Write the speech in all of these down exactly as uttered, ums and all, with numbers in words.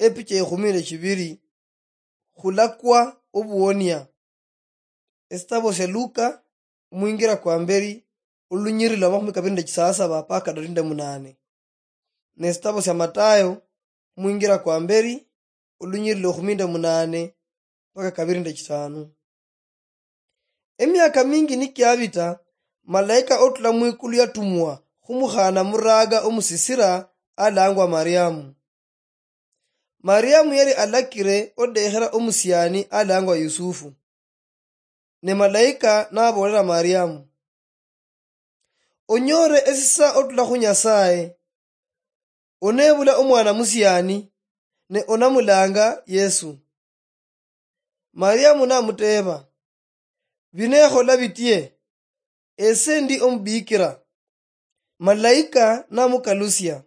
Epicha ekhumi nechibiri. Khulakwa obuonia. Esitabo sia Luka, mwingira kwa mberi, olunyiriri lwa makhumi kabiri nde chisasaba paka kabiri nde munane. Ne esitabo sia Matayo, mwingira kwa mberi, olunyiriri lwa ekhumi nde munane paka kabiri nde chitano. Emiaka mingi nikiabita, malaika otula mwikulu yatumwa khumukhana muraga omusisira alangwa Mariamu. Mariamu yali alakire odekhera omusiani alangwa Yusufu. Ne malaika nabolera Mariamu, onyore esisa otula khu Nyasaye, onebula omwana musiani, ne onamulanga Yesu. Mariamu namuteba, binekhola bitie? Ese ndi omubikira. Malaika namukalusia,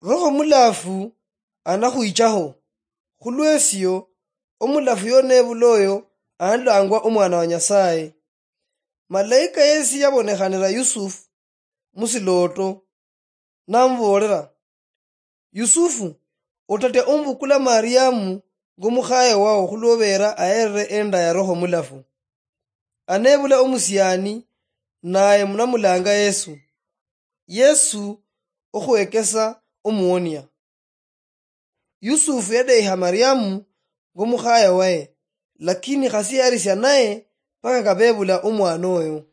Roho Mulafu anakhwichaho, khulwesio omulafu yonebula oyo analangwa omwana wa Nyasaye. Malaika yesi yabonekhanira Yusufu musiloto, namubolera, Yusufu, otatia omubukula Mariamu ngomukhaye wao khulwobera aherere enda ya Roho Mulafu. Anebula omusiani, naye munamulanga Yesu. Yesu okhwekesa omuonia. Yusufu yadeiha Mariamu ngomukhaye waye, lakini khasi yarisia naye paka kabebula omwana oyo.